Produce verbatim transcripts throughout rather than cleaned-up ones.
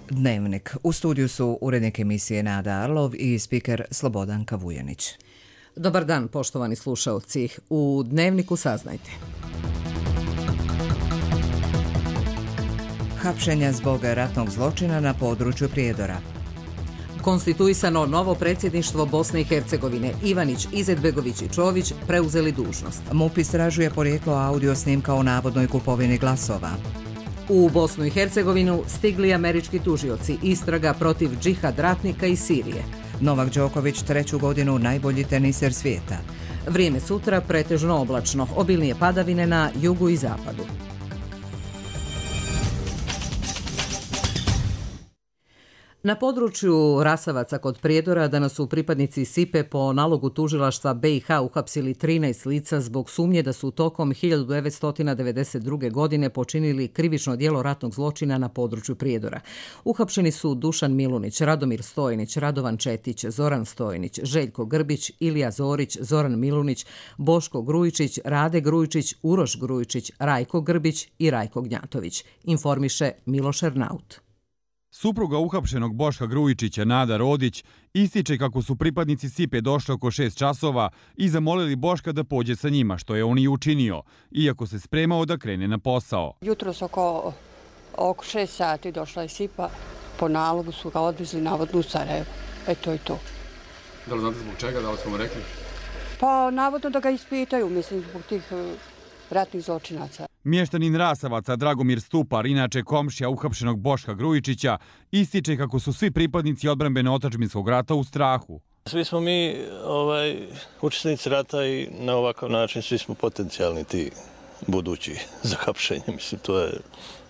Dnevnik. U studiju su urednik emisije Nada Arlov i spiker Slobodan Kavujanić. Dobar dan, poštovani slušalci. U Dnevniku saznajte. Hapšenja zbog ratnog zločina na području Prijedora. Konstituisano novo predsjedništvo Bosne i Hercegovine. Ivanić, Izetbegović i Čović preuzeli dužnost. MUP istražuje porijeklo audio snimka o navodnoj kupovini glasova. U Bosnu i Hercegovinu stigli američki tužioci, istraga protiv džihad ratnika iz Sirije. Novak Đoković treću godinu najbolji teniser svijeta. Vrijeme sutra pretežno oblačno, obilnije padavine na jugu i zapadu. Na području Rasavaca kod Prijedora danas su pripadnici Sipe po nalogu tužilaštva be i ha uhapsili trinaest lica zbog sumnje da su tokom hiljadu devetsto devedeset druge. godine počinili krivično djelo ratnog zločina na području Prijedora. Uhapšeni su Dušan Milunić, Radomir Stojnić, Radovan Četić, Zoran Stojnić, Željko Grbić, Ilija Zorić, Zoran Milunić, Boško Grujičić, Rade Grujičić, Uroš Grujičić, Rajko Grbić i Rajko Gnjatović, informiše Miloš Ernaut. Supruga uhapšenog Boška Grujičića, Nada Rodić, ističe kako su pripadnici Sipe došli oko šest časova i zamolili Boška da pođe sa njima, što je on i učinio, iako se spremao da krene na posao. Jutros oko, oko šest sati došla je Sipa, po nalogu su ga odvezli navodno u Sarajevo. E to je to. Da li znate zbog čega, da li su mu rekli? Pa navodno da ga ispitaju, mislim, zbog tih ratnih zločinaca. Mještanin Rasavaca Dragomir Stupar, inače komšija uhapšenog Boška Grujičića, ističe kako su svi pripadnici odbrambeno-otadžbinskog rata u strahu. Svi smo mi ovaj, učesnici rata i na ovakav način svi smo potencijalni ti budući za hapšenje. Mislim, to je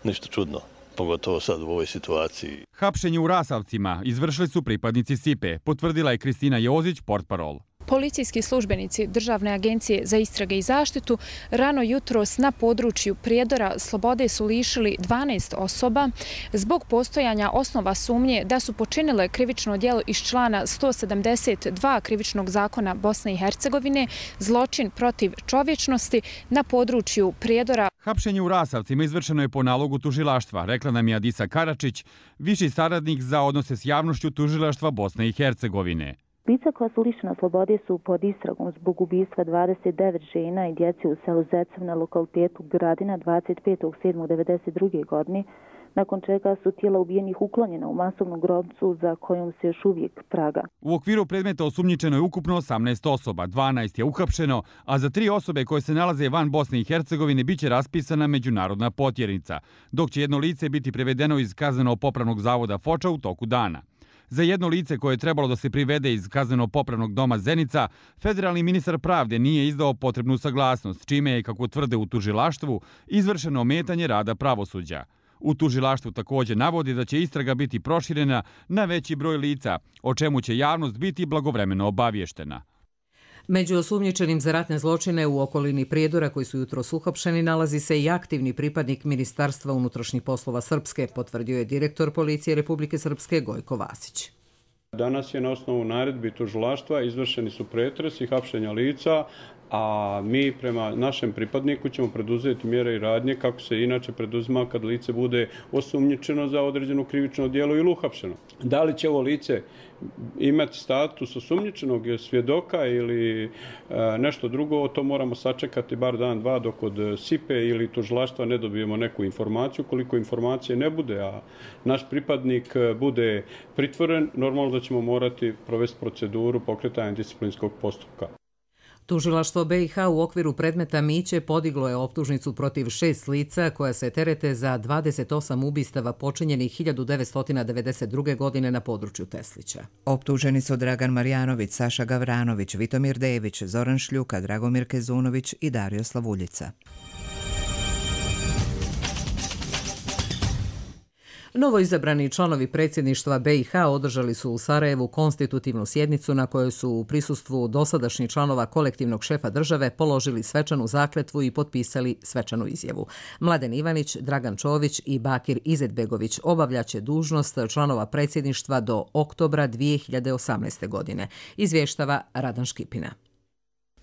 ništa čudno, pogotovo sad u ovoj situaciji. Hapšenje u Rasavcima izvršili su pripadnici Sipe, potvrdila je Kristina Jozić, portparol. Policijski službenici Državne agencije za istrage i zaštitu rano jutros na području Prijedora slobode su lišili dvanaest osoba zbog postojanja osnova sumnje da su počinile krivično djelo iz člana sto sedamdeset dva krivičnog zakona Bosne i Hercegovine, zločin protiv čovječnosti na području Prijedora. Hapšenje u Rasavcima izvršeno je po nalogu tužilaštva, rekla nam je Adisa Karačić, viši saradnik za odnose s javnošću tužilaštva Bosne i Hercegovine. Lica koja su lišena slobode su pod istragom zbog ubistva dvadeset devet žena i djece u selu Zecev na lokalitetu Gradina dvadeset petog sedmog devedeset druge. godine, nakon čega su tijela ubijenih uklonjena u masovnu grobnicu za kojom se još uvijek praga. U okviru predmeta osumnjičeno je ukupno osamnaest osoba, dvanaest je uhapšeno, a za tri osobe koje se nalaze van Bosne i Hercegovine biće raspisana međunarodna potjernica, dok će jedno lice biti prevedeno iz kazneno-popravnog zavoda Foča u toku dana. Za jedno lice koje je trebalo da se privede iz kazneno-popravnog doma Zenica, federalni ministar pravde nije izdao potrebnu saglasnost, čime je, kako tvrde u tužilaštvu, izvršeno ometanje rada pravosuđa. U tužilaštvu također navodi da će istraga biti proširena na veći broj lica, o čemu će javnost biti blagovremeno obavještena. Među osumnjičenim za ratne zločine u okolini Prijedora koji su jutros uhapšeni nalazi se i aktivni pripadnik Ministarstva unutrašnjih poslova Srpske, potvrdio je direktor policije Republike Srpske Gojko Vasić. Danas je na osnovu naredbi tužilaštva izvršeni su pretresi, hapšenja lica, a mi prema našem pripadniku ćemo preduzeti mjere i radnje kako se inače preduzima kad lice bude osumnjičeno za određeno krivično djelo ili uhapšeno. Da li će ovo lice imati status osumnjičenog svjedoka ili e, nešto drugo, to moramo sačekati bar dan, dva dok od Sipe ili tužilaštva ne dobijemo neku informaciju. Koliko informacije ne bude, a naš pripadnik bude pritvoren, normalno da ćemo morati provesti proceduru pokretanja disciplinskog postupka. Tužilaštvo be i ha u okviru predmeta Miće podiglo je optužnicu protiv šest lica koja se terete za dvadeset osam ubistava počinjenih hiljadu devetsto devedeset druge. godine na području Teslića. Optuženi su Dragan Marjanović, Saša Gavranović, Vitomir Dević, Zoran Šljuka, Dragomir Kezunović i Dario Slavuljica. Novoizabrani članovi predsjedništva be i ha održali su u Sarajevu konstitutivnu sjednicu na kojoj su u prisustvu dosadašnjih članova kolektivnog šefa države položili svečanu zakletvu i potpisali svečanu izjavu. Mladen Ivanić, Dragan Čović i Bakir Izetbegović obavljaće dužnost članova predsjedništva do oktobra dvije hiljade osamnaeste. godine, izvještava Radan Škipina.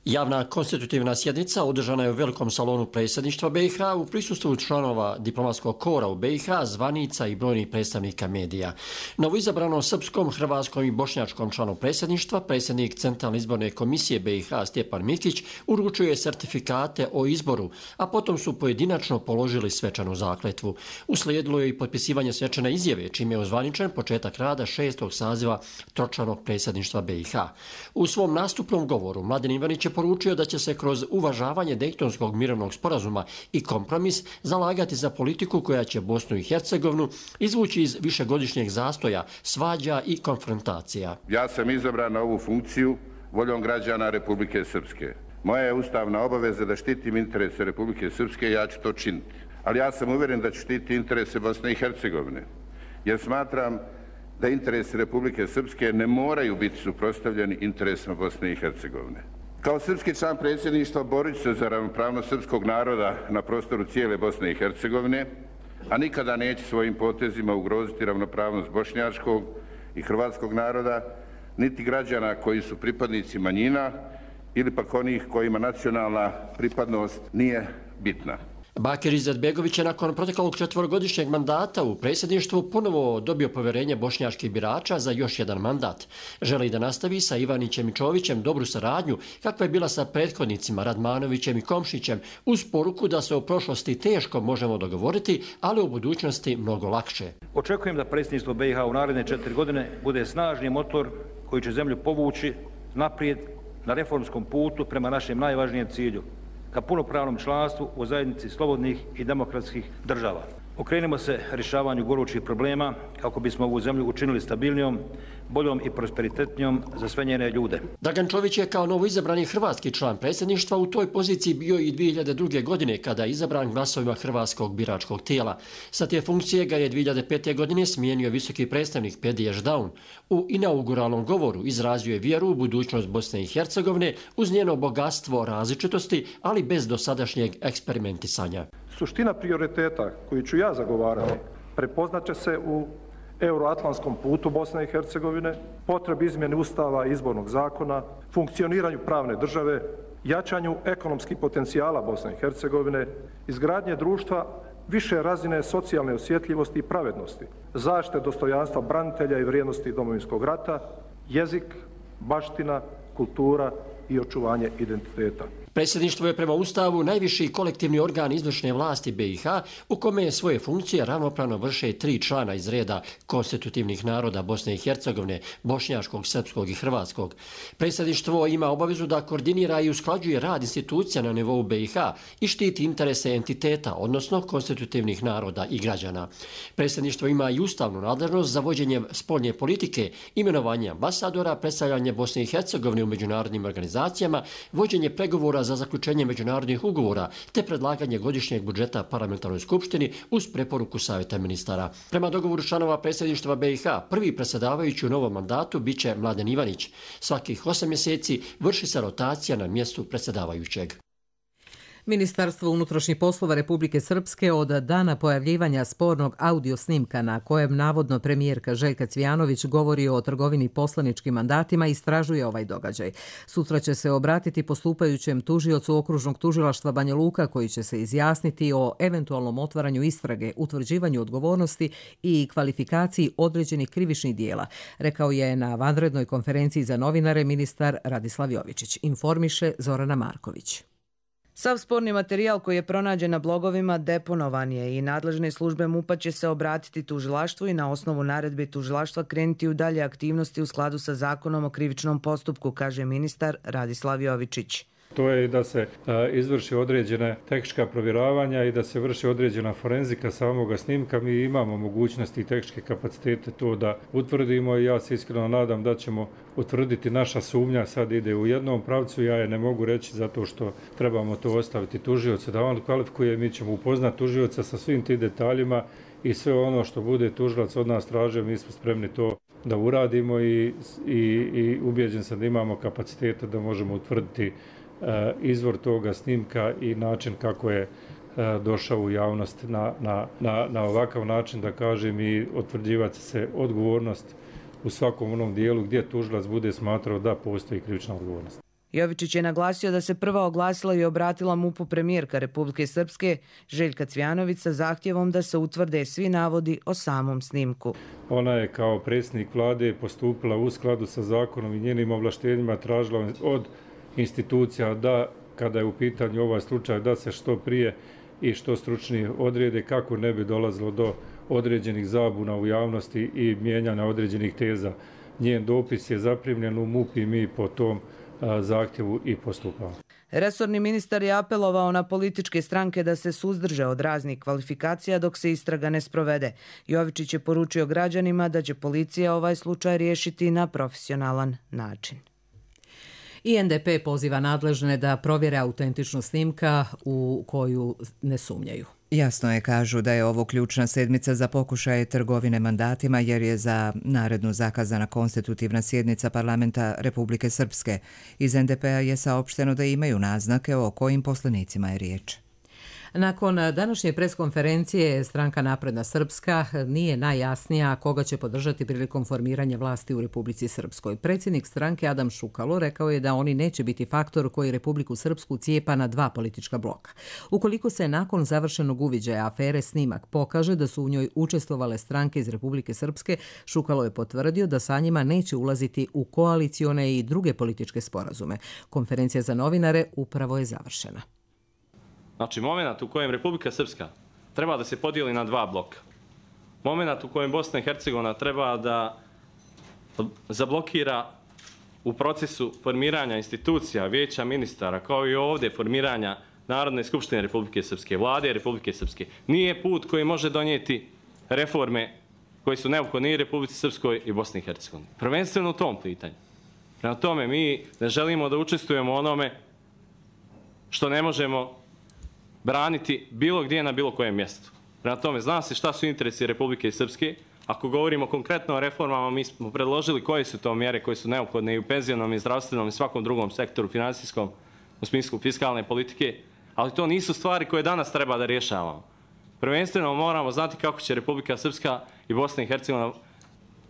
Javna konstitutivna sjednica održana je u velikom salonu predsjedništva B i H u prisustvu članova diplomatskog kora u B i H, zvanica i brojnih predstavnika medija. Novoizabranom srpskom, hrvatskom i bošnjačkom članu predsjedništva, predsjednik Centralne izborne komisije B i H Stjepan Mikić uručuje sertifikate o izboru, a potom su pojedinačno položili svečanu zakletvu. Uslijedilo je i potpisivanje svečane izjave, čime je ozvaničen početak rada šestog saziva tročlanog predsjedništva B i H. U svom nastupnom govoru Mladen Ivanić je poručio da će se kroz uvažavanje Dejtonskog mirovnog sporazuma i kompromis zalagati za politiku koja će Bosnu i Hercegovinu izvući iz višegodišnjeg zastoja, svađa i konfrontacija. Ja sam izabran na ovu funkciju voljom građana Republike Srpske. Moja je ustavna obaveza da štitim interese Republike Srpske i ja ću to činiti. Ali ja sam uvjeren da ću štiti interese Bosne i Hercegovine, jer smatram da interesi Republike Srpske ne moraju biti suprotstavljeni interesima Bosne i Hercegovine. Kao srpski član predsjedništva borit ću se za ravnopravnost srpskog naroda na prostoru cijele Bosne i Hercegovine, a nikada neće svojim potezima ugroziti ravnopravnost bošnjačkog i hrvatskog naroda, niti građana koji su pripadnici manjina ili pak onih kojima nacionalna pripadnost nije bitna. Bakir Izetbegović je nakon proteklog četvorogodišnjeg mandata u predsjedništvu ponovo dobio povjerenje bošnjačkih birača za još jedan mandat. Želi da nastavi sa Ivanićem i Čovićem dobru saradnju kakva je bila sa prethodnicima Radmanovićem i Komšićem, uz poruku da se o prošlosti teško možemo dogovoriti, ali u budućnosti mnogo lakše. Očekujem da predsjedništvo B i H u naredne četiri godine bude snažni motor koji će zemlju povući naprijed na reformskom putu prema našem najvažnijem cilju, ka punopravnom članstvu u zajednici slobodnih i demokratskih država. Okrenimo se rješavanju gorućih problema kako bismo ovu zemlju učinili stabilnijom, boljom i prosperitetnijom za sve njene ljude. Dragan Čović je kao novoizabrani hrvatski član predsjedništva u toj poziciji bio i dvije hiljade druge. godine kada je izabran glasovima hrvatskog biračkog tijela. Sa te funkcije ga je dvije hiljade pete. godine smijenio visoki predstavnik Pedi Ešdaun. U inauguralnom govoru izrazio je vjeru u budućnost Bosne i Hercegovine uz njeno bogatstvo različitosti, ali bez dosadašnjeg eksperimentisanja. Suština prioriteta koju ću ja zagovarati prepoznat će se u euroatlantskom putu Bosne i Hercegovine, potrebi izmjene Ustava i izbornog zakona, funkcioniranju pravne države, jačanju ekonomskih potencijala Bosne i Hercegovine, izgradnje društva više razine socijalne osjetljivosti i pravednosti, zaštite dostojanstva branitelja i vrijednosti Domovinskog rata, jezik, baština, kultura i očuvanje identiteta. Predsjedništvo je prema Ustavu najviši kolektivni organ izvršne vlasti B i H u kome je svoje funkcije ravnopravno vrše tri člana iz reda konstitutivnih naroda Bosne i Hercegovine, bošnjačkog, srpskog i hrvatskog. Predsjedništvo ima obavezu da koordinira i usklađuje rad institucija na nivou B i H i štiti interese entiteta, odnosno konstitutivnih naroda i građana. Predsjedništvo ima i ustavnu nadležnost za vođenje spoljne politike, imenovanje ambasadora, predstavljanje Bosne i Hercegovine u međunarodnim organizacijama, vođenje pregovora za zaključenje međunarodnih ugovora te predlaganje godišnjeg budžeta parlamentarnoj skupštini uz preporuku Savjeta ministara. Prema dogovoru članova predsjedništva B i H, prvi predsjedavajući u novom mandatu biće Mladen Ivanić. Svakih osam mjeseci vrši se rotacija na mjestu predsjedavajućeg. Ministarstvo unutrašnjih poslova Republike Srpske od dana pojavljivanja spornog audio snimka na kojem navodno premijerka Željka Cvijanović govori o trgovini poslaničkim mandatima istražuje ovaj događaj. Sutra će se obratiti postupajućem tužiocu okružnog tužilaštva Banja Luka koji će se izjasniti o eventualnom otvaranju istrage, utvrđivanju odgovornosti i kvalifikaciji određenih krivičnih dijela, rekao je na vanrednoj konferenciji za novinare ministar Radislav Jovičić, informiše Zorana Marković. Sav sporni materijal koji je pronađen na blogovima deponovan je i nadležne službe MUP-a će se obratiti tužilaštvu i na osnovu naredbe tužilaštva krenuti u dalje aktivnosti u skladu sa zakonom o krivičnom postupku, kaže ministar Radislav Jovičić. To je da se izvrši određena tehnička provjeravanja i da se vrši određena forenzika samoga snimka. Mi imamo mogućnosti i tehničke kapacitete to da utvrdimo i ja se iskreno nadam da ćemo utvrditi. Naša sumnja sad ide u jednom pravcu, ja je ne mogu reći zato što trebamo to ostaviti tužiocu da on kvalifikuje. Mi ćemo upoznati tužioca sa svim tim detaljima i sve ono što bude tužilac od nas tražio, mi smo spremni to da uradimo i, i, i ubjeđen sam da imamo kapacitete da možemo utvrditi izvor toga snimka i način kako je došao u javnost na, na, na, na ovakav način, da kažem, i otvrđivati se odgovornost u svakom onom dijelu gdje tužilac bude smatrao da postoji krivična odgovornost. Jovičić je naglasio da se prva oglasila i obratila MUP-u premijerka Republike Srpske Željka Cvjanović sa zahtjevom da se utvrde svi navodi o samom snimku. Ona je kao predsjednik vlade postupila u skladu sa zakonom i njenim ovlaštenjima, tražila od institucija da, kada je u pitanju ovaj slučaj, da se što prije i što stručnije odrede kako ne bi dolazilo do određenih zabuna u javnosti i mijenjanja određenih teza. Njen dopis je zaprimljen u MUP i mi po tom a, zahtjevu i postupamo. Resorni ministar je apelovao na političke stranke da se suzdrže od raznih kvalifikacija dok se istraga ne sprovede. Jovičić je poručio građanima da će policija ovaj slučaj riješiti na profesionalan način. I N D P poziva nadležne da provjere autentičnost snimka u koju ne sumnjaju. Jasno je, kažu, da je ovo ključna sedmica za pokušaje trgovine mandatima jer je za narednu zakazana konstitutivna sjednica parlamenta Republike Srpske. Iz N D P-a je saopšteno da imaju naznake o kojim poslanicima je riječ. Nakon današnje preskonferencije Stranka napredna Srpska nije najjasnija koga će podržati prilikom formiranja vlasti u Republici Srpskoj. Predsjednik stranke Adam Šukalo rekao je da oni neće biti faktor koji Republiku Srpsku cijepa na dva politička bloka. Ukoliko se nakon završenog uviđaja afere snimak pokaže da su u njoj učestvovale stranke iz Republike Srpske, Šukalo je potvrdio da sa njima neće ulaziti u koalicione i druge političke sporazume. Konferencija za novinare upravo je završena. Znači, moment u kojem Republika Srpska treba da se podijeli na dva bloka. Moment u kojem Bosna i Hercegovina treba da zablokira u procesu formiranja institucija, vijeća ministara, kao i ovdje formiranja Narodne skupštine Republike Srpske, vlade Republike Srpske, nije put koji može donijeti reforme koje su neophodne i Republici Srpskoj i Bosni i Hercegovini. Prvenstveno u tom pitanju. Prema tome, mi ne želimo da učestvujemo u onome što ne možemo braniti bilo gdje na bilo kojem mjestu. Prema tome, zna se šta su interesi Republike Srpske. Ako govorimo konkretno o reformama, mi smo predložili koje su to mjere koje su neophodne i u penzionom i zdravstvenom i svakom drugom sektoru, finansijskom, u smislu fiskalne politike, ali to nisu stvari koje danas treba da rješavamo. Prvenstveno moramo znati kako će Republika Srpska i Bosna i Hercegovina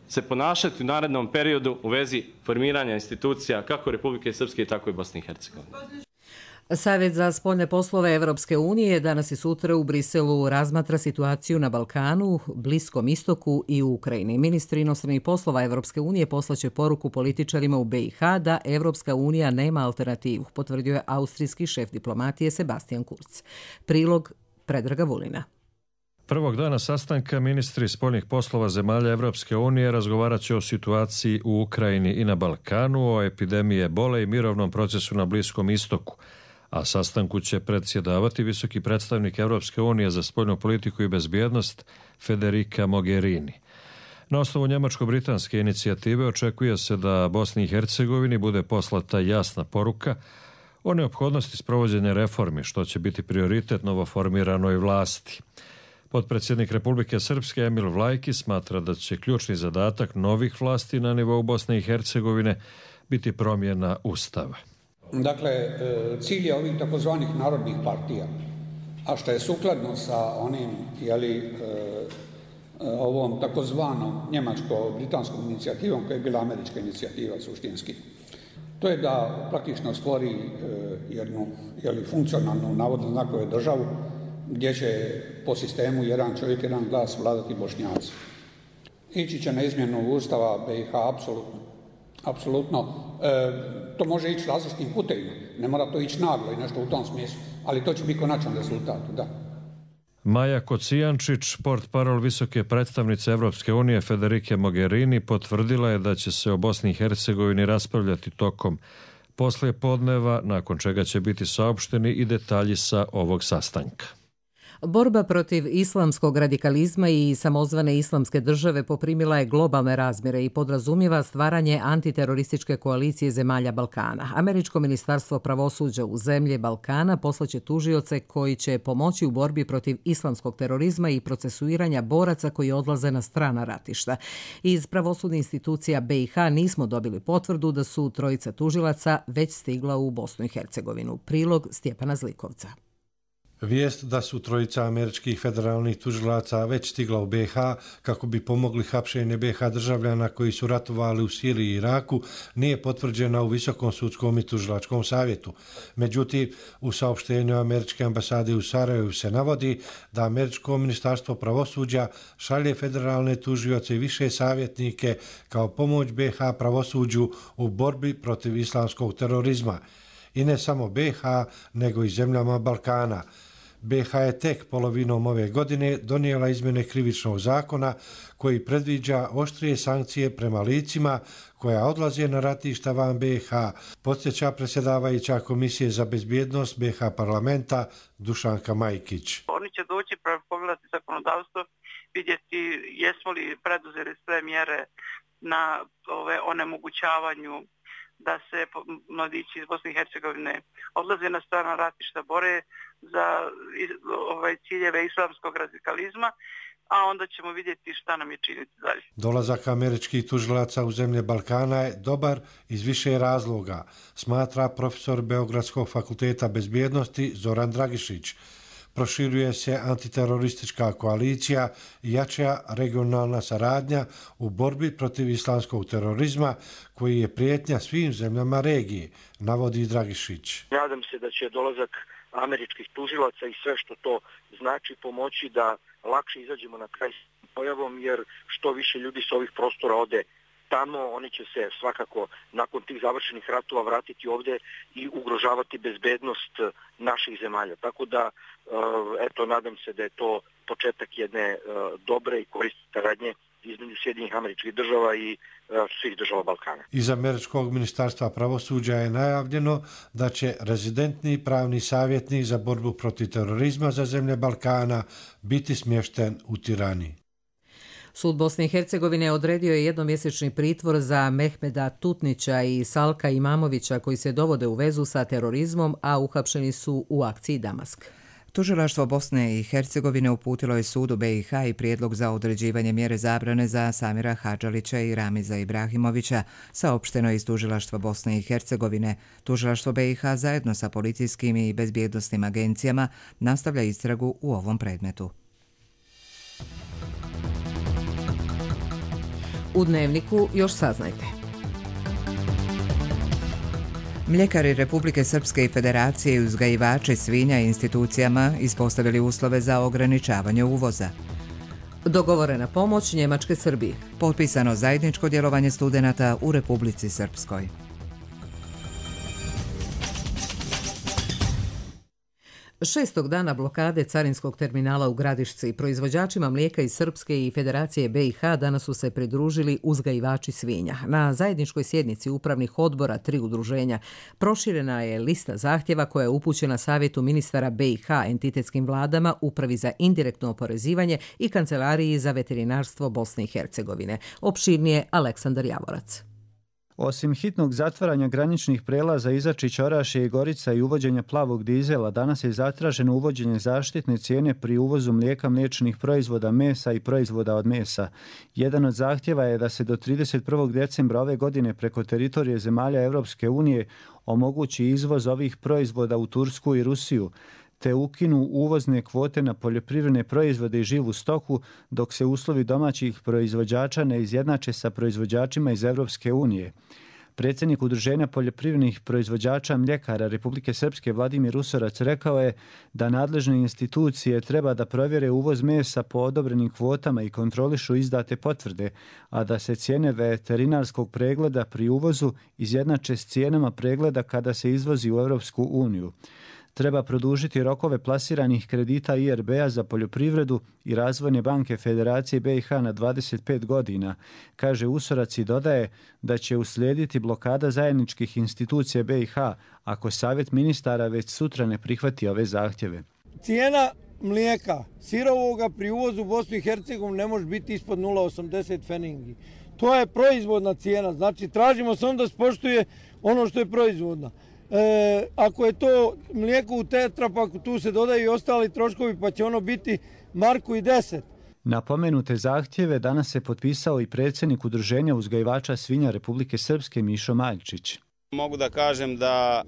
se ponašati u narednom periodu u vezi formiranja institucija kako Republike Srpske, tako i Bosne i Hercegovine. Savjet za spoljne poslove Evropske unije danas i sutra u Briselu razmatra situaciju na Balkanu, Bliskom istoku i u Ukrajini. Ministri inostranih poslova Evropske unije poslaće poruku političarima u B i H da Evropska unija nema alternativu, potvrdio je austrijski šef diplomatije Sebastian Kurz. Prilog Predraga Vulina. Prvog dana sastanka ministri spoljnih poslova zemalja Evropske unije razgovarat će o situaciji u Ukrajini i na Balkanu, o epidemiji ebole i mirovnom procesu na Bliskom istoku. A sastanku će predsjedavati visoki predstavnik Evropske unije za spoljnu politiku i bezbjednost Federica Mogherini. Na osnovu njemačko-britanske inicijative očekuje se da Bosni i Hercegovini bude poslata jasna poruka o neophodnosti sprovođenja reformi, što će biti prioritet novoformiranoj vlasti. Potpredsjednik Republike Srpske Emil Vlajki smatra da će ključni zadatak novih vlasti na nivou Bosne i Hercegovine biti promjena Ustava. Dakle, cilj je ovih takozvanih narodnih partija, a što je sukladno sa onim, jeli, ovom takozvanom njemačko-britanskom inicijativom, koja je bila američka inicijativa suštinski. To je da praktično stvori jednu, jeli, funkcionalnu, navodno znakove državu, gdje će po sistemu jedan čovjek, jedan glas vladati Bošnjaci. Ići će na izmjenu Ustava B i H, apsolutno. Apsolutno. E, to može ići različitim putevima. Ne mora to ići naglo i nešto u tom smislu, ali to će biti konačan rezultat, da. Maja Kocijančić, portparol visoke predstavnice Evropske unije Federike Mogherini, potvrdila je da će se o Bosni i Hercegovini raspravljati tokom poslijepodneva, nakon čega će biti saopšteni i detalji sa ovog sastanka. Borba protiv islamskog radikalizma i samozvane islamske države poprimila je globalne razmjere i podrazumijeva stvaranje antiterorističke koalicije zemalja Balkana. Američko ministarstvo pravosuđa u zemlje Balkana poslaće tužioce koji će pomoći u borbi protiv islamskog terorizma i procesuiranja boraca koji odlaze na strana ratišta. Iz pravosudnih institucija B i H nismo dobili potvrdu da su trojica tužilaca već stigla u Bosnu i Hercegovinu. Prilog Stjepana Zlikovca. Vijest da su trojica američkih federalnih tužilaca već stigla u B H kako bi pomogli hapšenje B H državljana koji su ratovali u Siriji i Iraku nije potvrđena u Visokom sudskom i tužilačkom savjetu. Međutim, u saopštenju američke ambasade u Sarajevu se navodi da američko ministarstvo pravosuđa šalje federalne tužioce i više savjetnike kao pomoć B H pravosuđu u borbi protiv islamskog terorizma. I ne samo B H, nego i zemljama Balkana. B H je tek polovinom ove godine donijela izmjene krivičnog zakona koji predviđa oštrije sankcije prema licima koja odlaze na ratišta van B H, podsjeća predsjedavajuća Komisije za bezbjednost B H parlamenta Dušanka Majkić. Oni će doći pogledati zakonodavstvo, vidjeti jesmo li preduzeli sve mjere na ove onemogućavanju da se mladići iz Bosne i Hercegovine odlaze na strana ratišta, bore za ovaj, ciljeve islamskog radikalizma, a onda ćemo vidjeti šta nam je činiti dalje. Dolazak američkih tužilaca u zemlje Balkana je dobar iz više razloga, smatra profesor Beogradskog fakulteta bezbjednosti Zoran Dragišić. Proširuje se antiteroristička koalicija i jača regionalna saradnja u borbi protiv islamskog terorizma koji je prijetnja svim zemljama regije, navodi Dragišić. Nadam se da će dolazak američkih tužilaca i sve što to znači pomoći da lakše izađemo na kraj s pojavom, jer što više ljudi s ovih prostora ode tamo, oni će se svakako nakon tih završenih ratova vratiti ovdje i ugrožavati bezbednost naših zemalja. Tako da, eto, nadam se da je to početak jedne dobre i korisne saradnje između Sjedinjenih Američkih Država i svih država Balkana. Iz američkog ministarstva pravosuđa je najavljeno da će rezidentni pravni savjetnik za borbu protiv terorizma za zemlje Balkana biti smješten u Tirani. Sud Bosne i Hercegovine odredio je jednomjesečni pritvor za Mehmeda Tutnića i Salka Imamovića koji se dovode u vezu sa terorizmom, a uhapšeni su u akciji Damask. Tužilaštvo Bosne i Hercegovine uputilo je sudu B i H i prijedlog za određivanje mjere zabrane za Samira Hadžalića i Ramiza Ibrahimovića, saopšteno je iz Tužilaštva Bosne i Hercegovine. Tužilaštvo B i H zajedno sa policijskim i bezbjednosnim agencijama nastavlja istragu u ovom predmetu. U Dnevniku još saznajte. Mljekari Republike Srpske i Federacije i uzgajivači svinja i institucijama ispostavili uslove za ograničavanje uvoza. Dogovorena pomoć Njemačke Srbiji. Potpisano zajedničko djelovanje studenata u Republici Srpskoj. Šestog dana blokade carinskog terminala u Gradišci proizvođačima mlijeka iz Srpske i Federacije B i H danas su se pridružili uzgajivači svinja. Na zajedničkoj sjednici upravnih odbora tri udruženja proširena je lista zahtjeva koja je upućena Savjetu ministara B i H, entitetskim vladama, Upravi za indirektno oporezivanje i Kancelariji za veterinarstvo Bosne i Hercegovine. Opširnije Aleksandar Javorac. Osim hitnog zatvaranja graničnih prelaza Izačić, Orašje i Gorica i uvođenja plavog dizela, danas je zatraženo uvođenje zaštitne cijene pri uvozu mlijeka, mliječnih proizvoda, mesa i proizvoda od mesa. Jedan od zahtjeva je da se do trideset prvog decembra ove godine preko teritorije zemalja Europske unije omogući izvoz ovih proizvoda u Tursku i Rusiju, te ukinu uvozne kvote na poljoprivredne proizvode i živu stoku, dok se uslovi domaćih proizvođača ne izjednače sa proizvođačima iz Europske unije. Predsjednik Udruženja poljoprivrednih proizvođača mljekara Republike Srpske Vladimir Usorac rekao je da nadležne institucije treba da provjere uvoz mesa po odobrenim kvotama i kontrolišu izdate potvrde, a da se cijene veterinarskog pregleda pri uvozu izjednače s cijenama pregleda kada se izvozi u Europsku uniju. Treba produžiti rokove plasiranih kredita I R B-a za poljoprivredu i Razvojne banke Federacije B i H na dvadeset pet godina, kaže Usorac i dodaje da će uslijediti blokada zajedničkih institucija B i H ako Savjet ministara već sutra ne prihvati ove zahtjeve. Cijena mlijeka sirovoga pri uvozu u Bosnu i Hercegovinu ne može biti ispod nula zarez osamdeset pfenningi. To je proizvodna cijena, znači tražimo samo da se poštuje ono što je proizvodna. E, ako je to mlijeko u tetrapaku, tu se dodaju i ostali troškovi, pa će ono biti marku i deset. Na pomenute zahtjeve danas se potpisao i predsjednik Udruženja uzgajivača svinja Republike Srpske Mišo Maljčić. Mogu da kažem da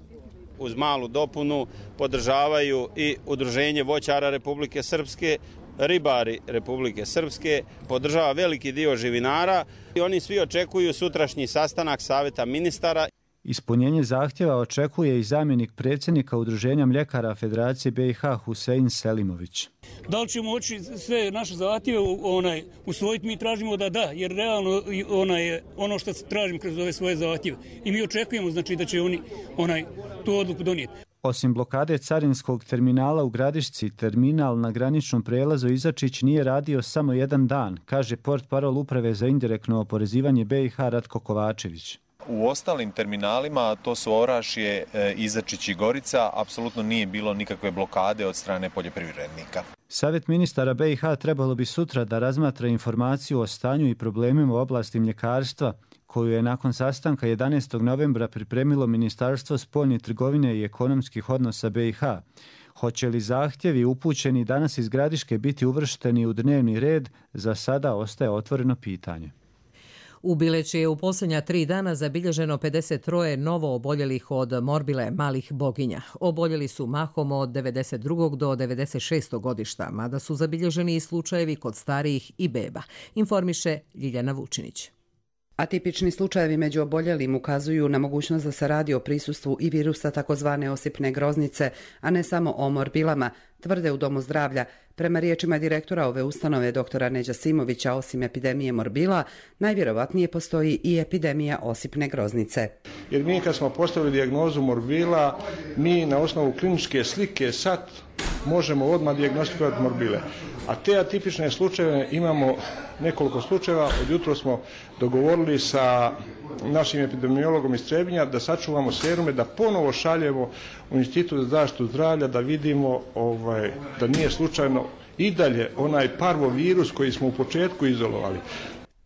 Uz malu dopunu podržavaju i Udruženje voćara Republike Srpske, ribari Republike Srpske, podržava veliki dio živinara i oni svi očekuju sutrašnji sastanak Saveta ministara. Ispunjenje zahtjeva očekuje i zamjenik predsjednika Udruženja mljekara Federacije B i H Husein Selimović. Da li ćemo moći sve naše zahtjeve onaj, usvojiti, mi tražimo da da, jer realno onaj, ono što tražimo kroz ove svoje zahtjeve. I mi očekujemo znači, da će oni onaj, tu odluku donijeti. Osim blokade carinskog terminala u Gradišci, terminal na graničnom prelazu Izačić nije radio samo jedan dan, kaže portparol Uprave za indirektno oporezivanje B i H Ratko Kovačević. U ostalim terminalima, to su Orašje, Izačić i Gorica, apsolutno nije bilo nikakve blokade od strane poljoprivrednika. Savjet ministara B i H trebalo bi sutra da razmatra informaciju o stanju i problemima u oblasti mljekarstva, koju je nakon sastanka jedanaestog novembra pripremilo Ministarstvo spoljne trgovine i ekonomskih odnosa B i H. Hoće li zahtjevi upućeni danas iz Gradiške biti uvršteni u dnevni red, za sada ostaje otvoreno pitanje. U Bileći je u posljednja tri dana zabilježeno pedeset tri novo oboljelih od morbile malih boginja. Oboljeli su mahom od devedeset drugog do devedeset šestog godišta, mada su zabilježeni i slučajevi kod starijih i beba, informiše Ljiljana Vučinić. Atipični slučajevi među oboljelim ukazuju na mogućnost da se radi o prisustvu i virusa takozvane osipne groznice, a ne samo o morbilama, tvrde u Domu zdravlja. Prema riječima direktora ove ustanove doktora Neđa Simovića, osim epidemije morbila, najvjerovatnije postoji i epidemija osipne groznice. Jer mi kad smo postavili dijagnozu morbila, mi na osnovu kliničke slike sad možemo odmah dijagnostikovati morbile. A te atipične slučajeve imamo nekoliko slučajeva. Od jutro smo dogovorili sa našim epidemiologom iz Trebinja da sačuvamo serume, da ponovo šaljemo u Institut za zaštitu zdravlja da vidimo ovaj, da nije slučajno i dalje onaj parvovirus koji smo u početku izolovali.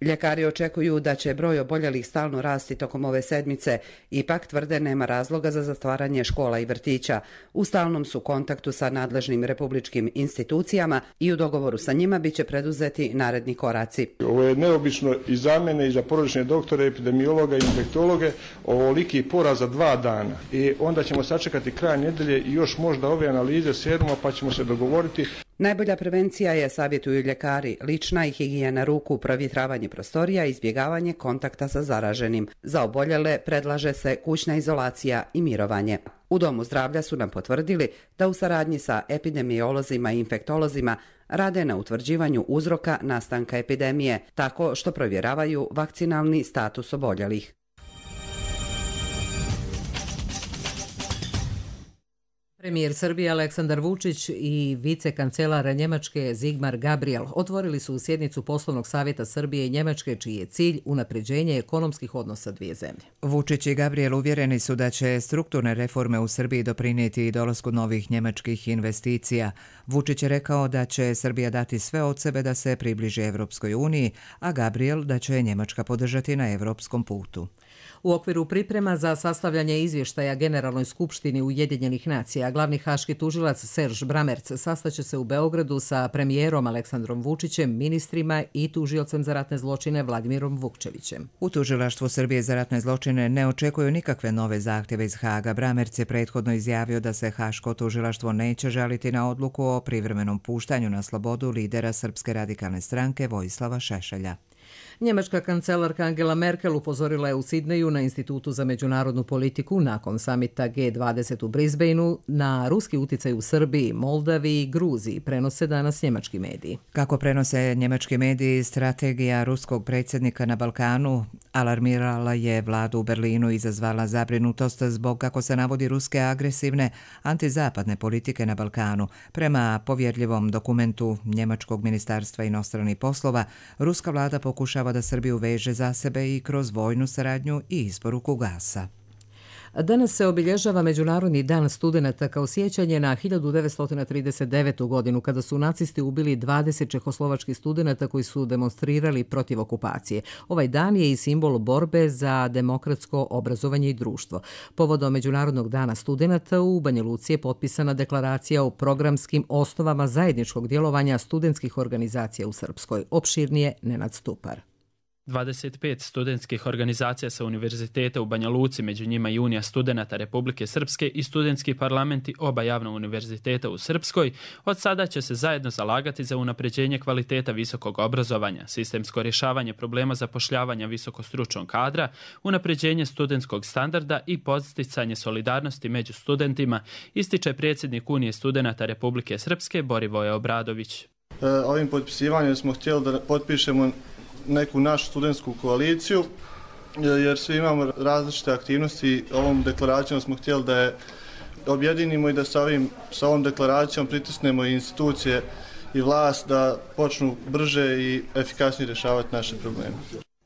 Ljekari očekuju da će broj oboljelih stalno rasti tokom ove sedmice, ipak tvrde nema razloga za zatvaranje škola i vrtića. U stalnom su kontaktu sa nadležnim republičkim institucijama i u dogovoru sa njima biće preduzeti naredni koraci. Ovo je neobično i za mene i za porodične doktore, epidemiologa i infektologe, ovoliki poraz za dva dana. I onda ćemo sačekati kraj nedelje i još možda ove analize seruma pa ćemo se dogovoriti. Najbolja prevencija je, savjetuju ljekari, lična i higijena ruku, provjetravanje prostorija i izbjegavanje kontakta sa zaraženim. Za oboljele predlaže se kućna izolacija i mirovanje. U Domu zdravlja su nam potvrdili da u saradnji sa epidemiolozima i infektolozima rade na utvrđivanju uzroka nastanka epidemije, tako što provjeravaju vakcinalni status oboljelih. Premijer Srbije Aleksandar Vučić i vicekancelar Njemačke Sigmar Gabriel otvorili su sjednicu poslovnog savjeta Srbije i Njemačke, čiji je cilj unapređenje ekonomskih odnosa dvije zemlje. Vučić i Gabriel uvjereni su da će strukturne reforme u Srbiji doprinijeti i dolasku novih njemačkih investicija. Vučić je rekao da će Srbija dati sve od sebe da se približi Evropskoj uniji, a Gabriel da će Njemačka podržati na evropskom putu. U okviru priprema za sastavljanje izvještaja Generalnoj skupštini Ujedinjenih nacija, glavni haški tužilac Serž Bramerc sastaće se u Beogradu sa premijerom Aleksandrom Vučićem, ministrima i tužiocem za ratne zločine Vladimirom Vukčevićem. U tužilaštvu Srbije za ratne zločine ne očekuju nikakve nove zahtjeve iz Haga. Bramerc je prethodno izjavio da se haško tužilaštvo neće žaliti na odluku o privremenom puštanju na slobodu lidera Srpske radikalne stranke Vojislava Šešelja. Njemačka kancelarka Angela Merkel upozorila je u Sidneju na Institutu za međunarodnu politiku nakon samita G dvadeset u Brisbaneu na ruski uticaj u Srbiji, Moldaviji i Gruziji, prenose danas njemački mediji. Kako prenose njemački mediji, strategija ruskog predsjednika na Balkanu alarmirala je vladu u Berlinu i izazvala zabrinutost zbog, kako se navodi, ruske agresivne antizapadne politike na Balkanu. Prema povjerljivom dokumentu Njemačkog ministarstva inostranih poslova, ruska vlada pokušava da Srbiju veže za sebe i kroz vojnu saradnju i isporuku gasa. Danas se obilježava Međunarodni dan studenata kao sjećanje na hiljadu devetsto trideset devetu. godinu kada su nacisti ubili dvadeset čehoslovačkih studenata koji su demonstrirali protiv okupacije. Ovaj dan je i simbol borbe za demokratsko obrazovanje i društvo. Povodom Međunarodnog dana studenata u Banja Luci je potpisana deklaracija o programskim osnovama zajedničkog djelovanja studentskih organizacija u Srpskoj. Opširnije Nenad Stupar. dvadeset pet studentskih organizacija sa univerziteta u Banja Luci, među njima i Unija studenata Republike Srpske i studentski parlamenti oba javna univerziteta u Srpskoj, od sada će se zajedno zalagati za unapređenje kvaliteta visokog obrazovanja, sistemsko rješavanje problema zapošljavanja visokostručnog kadra, unapređenje studentskog standarda i podsticanje solidarnosti među studentima, ističe predsjednik Unije studenata Republike Srpske Borivoje Obradović. Ovim potpisivanjem smo htjeli da potpišemo neku našu studentsku koaliciju, jer svi imamo različite aktivnosti. Ovom deklaracijom smo htjeli da je objedinimo i da sa, ovim, sa ovom deklaracijom pritisnemo i institucije i vlast da počnu brže i efikasnije rješavati naše probleme.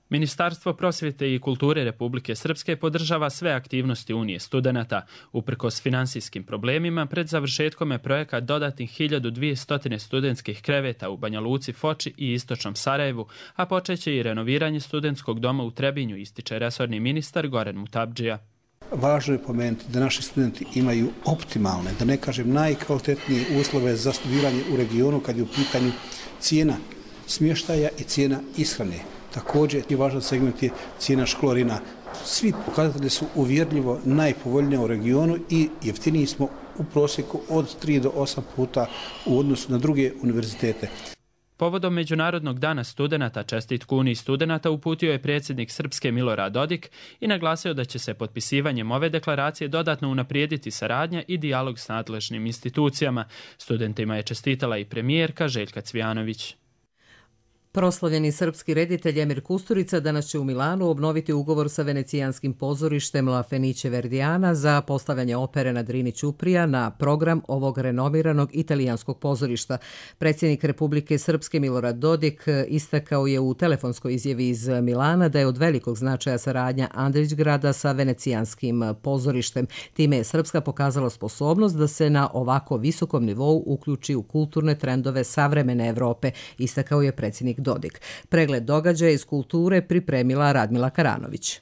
Ministarstvo prosvjete i kulture Republike Srpske podržava sve aktivnosti Unije studenata. Uprkos finansijskim problemima, pred završetkom je projekat dodatnih hiljadu dvjesto studentskih kreveta u Banja Luci, Foči i istočnom Sarajevu, a počeće i renoviranje studentskog doma u Trebinju, ističe resorni ministar Goran Mutabdžija. Važno je pomenuti da naši studenti imaju optimalne, da ne kažem najkvalitetnije uslove za studiranje u regionu kad je u pitanju cijena smještaja i cijena ishrane. Također je važan segment je cijena školarina. Svi pokazatelji su uvjerljivo najpovoljniji u regionu i jeftiniji smo u prosjeku od tri do osam puta u odnosu na druge univerzitete. Povodom Međunarodnog dana studenata čestitku Uniji studenata uputio je predsjednik Srpske Milorad Dodik i naglasio da će se potpisivanjem ove deklaracije dodatno unaprijediti saradnja i dijalog s nadležnim institucijama. Studentima je čestitala i premijerka Željka Cvijanović. Proslavljeni srpski reditelj Emir Kusturica danas će u Milanu obnoviti ugovor sa venecijanskim pozorištem La Fenice Verdiana za postavljanje opere na Drini Ćuprija na program ovog renomiranog italijanskog pozorišta. Predsjednik Republike Srpske Milorad Dodik istakao je u telefonskoj izjavi iz Milana da je od velikog značaja saradnja Andrićgrada sa venecijanskim pozorištem. Time je Srpska pokazala sposobnost da se na ovako visokom nivou uključi u kulturne trendove savremene Evrope, istakao je predsjednik Dodik. Pregled događaja iz kulture pripremila Radmila Karanović.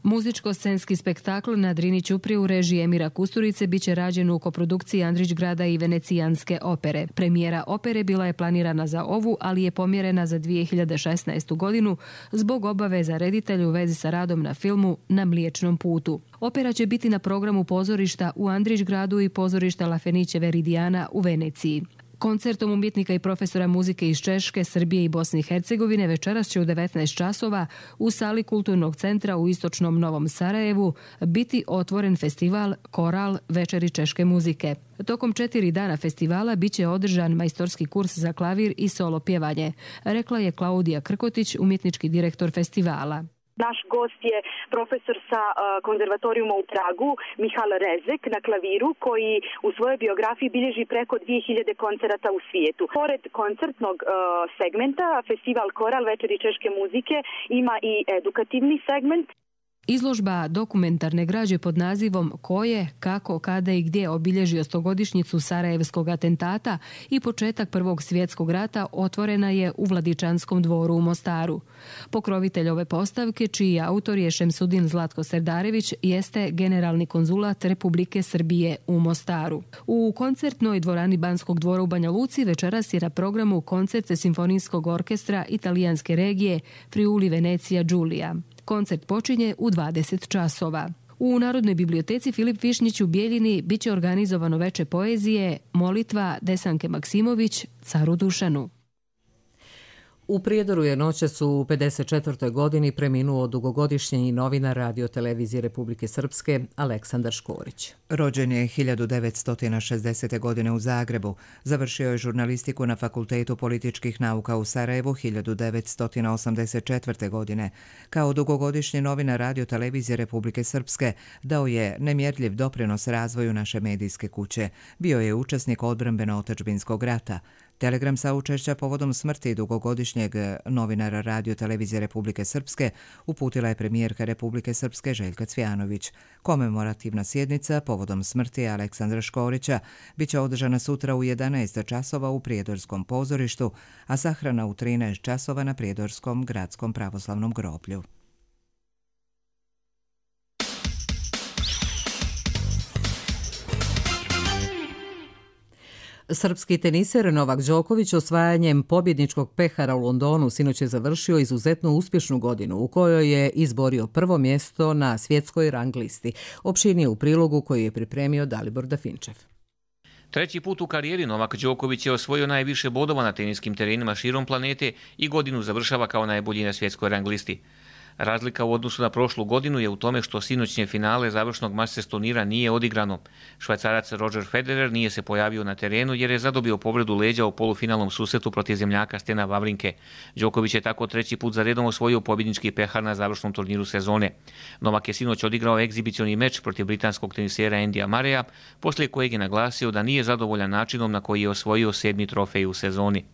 Muzičko-scenski spektakl na Drini Ćupriji u režiji Emira Kusturice biće rađen u koprodukciji Andrićgrada i venecijanske opere. Premijera opere bila je planirana za ovu, ali je pomjerena za dvije hiljade šesnaestu godinu zbog obaveza reditelja u vezi sa radom na filmu Na Mliječnom putu. Opera će biti na programu pozorišta u Andrićgradu i pozorišta La Fenice Verdiana u Veneciji. Koncertom umjetnika i profesora muzike iz Češke, Srbije i Bosne i Hercegovine večeras će u devetnaest časova u sali Kulturnog centra u istočnom Novom Sarajevu biti otvoren festival Koral Večeri češke muzike. Tokom četiri dana festivala biće održan majstorski kurs za klavir i solo pjevanje, rekla je Klaudija Krkotić, umjetnički direktor festivala. Naš gost je profesor sa konzervatorijuma u Pragu, Mihal Rezek, na klaviru, koji u svojoj biografiji bilježi preko dvije hiljade koncerata u svijetu. Pored koncertnog segmenta, festival Koral Večeri češke muzike ima i edukativni segment. Izložba dokumentarne građe pod nazivom Ko je, kako, kada i gdje obilježio stogodišnjicu Sarajevskog atentata i početak Prvog svjetskog rata otvorena je u Vladičanskom dvoru u Mostaru. Pokrovitelj ove postavke, čiji autor je Šemsudin Zlatko Serdarević, jeste generalni konzulat Republike Srbije u Mostaru. U koncertnoj dvorani Banskog dvora u Banja Luci večeras je na programu koncert Simfonijskog orkestra italijanske regije Friuli Venecija Giulia. Koncert počinje u dvadeset časova. U Narodnoj biblioteci Filip Višnjić u Bijeljini biće organizovano veče poezije Molitva Desanke Maksimović Caru Dušanu. U Prijedoru je noćas u pedeset četvrtoj godini preminuo dugogodišnji novinar Radio televizije Republike Srpske Aleksandar Škorić. Rođen je hiljadu devetsto šezdesete. godine u Zagrebu. Završio je žurnalistiku na Fakultetu političkih nauka u Sarajevu hiljadu devetsto osamdeset četvrte. godine. Kao dugogodišnji novinar Radio televizije Republike Srpske dao je nemjerljiv doprinos razvoju naše medijske kuće. Bio je učesnik odbrambeno-otadžbinskog rata. Telegram saučešća povodom smrti dugogodišnjeg novinara Radio televizije Republike Srpske uputila je premijerka Republike Srpske Željka Cvijanović. Komemorativna sjednica povodom smrti Aleksandra Škorića biće održana sutra u jedanaest časova u Prijedorskom pozorištu, a sahrana u trinaest časova na Prijedorskom gradskom pravoslavnom groblju. Srpski teniser Novak Đoković osvajanjem pobjedničkog pehara u Londonu sinoć je završio izuzetno uspješnu godinu u kojoj je izborio prvo mjesto na svjetskoj rang listi. Opširnije u prilogu koji je pripremio Dalibor Dafinčev. Treći put u karijeri Novak Đoković je osvojio najviše bodova na teniskim terenima širom planete i godinu završava kao najbolji na svjetskoj rang listi. Razlika u odnosu na prošlu godinu je u tome što sinoćnje finale završnog Masters turnira nije odigrano. Švajcarac Roger Federer nije se pojavio na terenu jer je zadobio povredu leđa u polufinalnom susretu protiv zemljaka Stena Wawrinke. Đoković je tako treći put za redom osvojio pobjednički pehar na završnom turniru sezone. Novak je sinoć odigrao egzibicioni meč protiv britanskog tenisera Andyja Murraya, poslije kojeg je naglasio da nije zadovoljan načinom na koji je osvojio sedmi trofej u sezoni.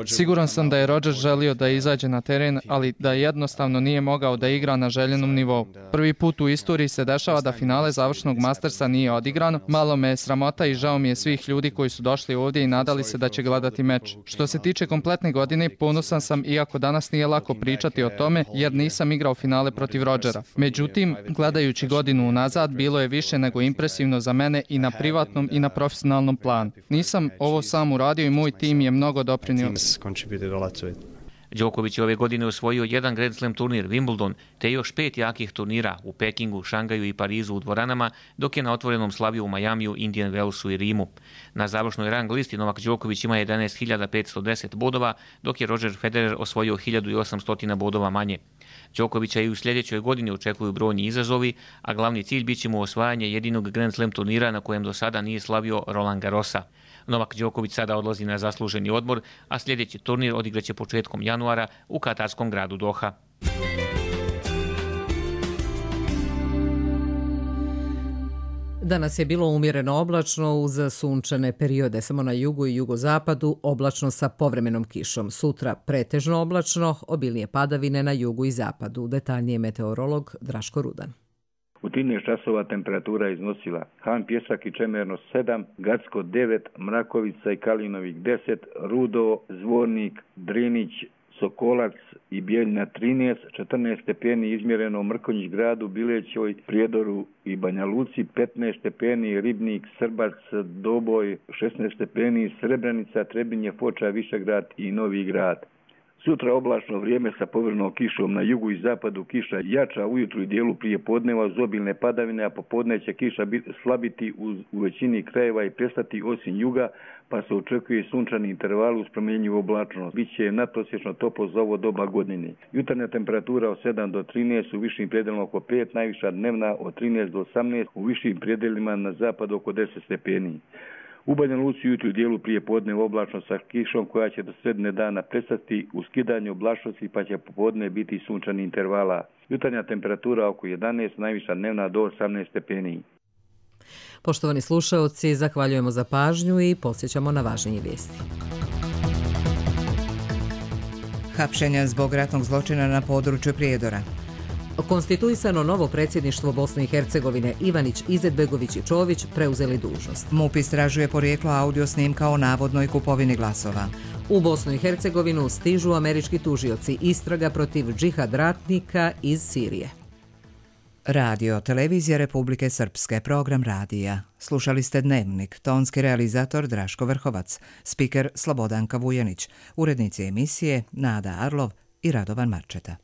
Siguran sam da je Roger želio da izađe na teren, ali da jednostavno nije mogao da igra na željenom nivou. Prvi put u istoriji se dešava da finale završnog Mastersa nije odigrano. Malo me je sramota i žao mi je svih ljudi koji su došli ovdje i nadali se da će gledati meč. Što se tiče kompletne godine, ponosan sam iako danas nije lako pričati o tome jer nisam igrao finale protiv Rogera. Međutim, gledajući godinu unazad, bilo je više nego impresivno za mene i na privatnom i na profesionalnom planu. Nisam ovo sam uradio i moj tim je mnogo doprinio. Đoković je ove godine osvojio jedan Grand Slam turnir Wimbledon, te još pet jakih turnira u Pekingu, Šangaju i Parizu u dvoranama, dok je na otvorenom slavio u Majamiju, Indian Wellsu i Rimu. Na završnoj rang listi Novak Đoković ima jedanaest hiljada petsto deset bodova, dok je Roger Federer osvojio hiljadu osamsto bodova manje. Đokovića i u sljedećoj godini očekuju brojni izazovi, a glavni cilj bit će mu osvajanje jedinog Grand Slam turnira na kojem do sada nije slavio Roland Garrosa. Novak Đoković sada odlazi na zasluženi odmor, a sljedeći turnir odigraće početkom januara u katarskom gradu Doha. Danas je bilo umjereno oblačno uz sunčane periode, samo na jugu i jugozapadu oblačno sa povremenom kišom. Sutra pretežno oblačno, obilnije padavine na jugu i zapadu. Detaljnije meteorolog Draško Rudan. U trinaest časova temperatura iznosila Han Pjesak i Čemerno sedam, Gacko devet, Mrakovica i Kalinovik deset, Rudo, Zvornik, Drinić, Sokolac i Bijeljina trinaest, četrnaest stepeni izmjereno u Mrkonjić gradu, Bilećoj, Prijedoru i Banja Luci, petnaest stepeni Ribnik, Srbac, Doboj, šesnaest stepeni Srebrenica, Trebinje, Foča, Višegrad i Novi grad. Sutra oblačno vrijeme sa povremenom kišom, na jugu i zapadu kiša jača ujutru i dijelu prije podneva uz obilne padavine, a popodne će kiša slabiti u, u većini krajeva i prestati osim juga, pa se očekuje sunčani interval uz promjenjivu oblačnost. Biće nadprosječno toplo za ovo doba godine. Jutarnja temperatura od sedam do trinaest, u višim predelima oko pet, najviša dnevna od trinaest do osamnaest, u višim predelima na zapadu oko deset stepeni. U Banja Luci jutru u dijelu prije podne oblačno sa kišom koja će do sredine dana prestati u skidanju oblačnosti, pa će popodne biti sunčani intervala. Jutarnja temperatura oko jedanaest, najviša dnevna do osamnaest stepeni. Poštovani slušaoci, zahvaljujemo za pažnju i podsjećamo na važnije vijesti. Hapšenja zbog ratnog zločina na području Prijedora. Konstituisano novo predsjedništvo Bosne i Hercegovine, Ivanić, Izetbegović i Čović preuzeli dužnost. MUP istražuje porijeklo audio snimka o navodnoj kupovini glasova. U Bosnu i Hercegovinu stižu američki tužioci, istraga protiv džihad ratnika iz Sirije. Radio, televizija Republike Srpske, program radija. Slušali ste Dnevnik, tonski realizator Draško Vrhovac, spiker Slobodanka Vujanić, urednici emisije Nada Arlov i Radovan Marčeta.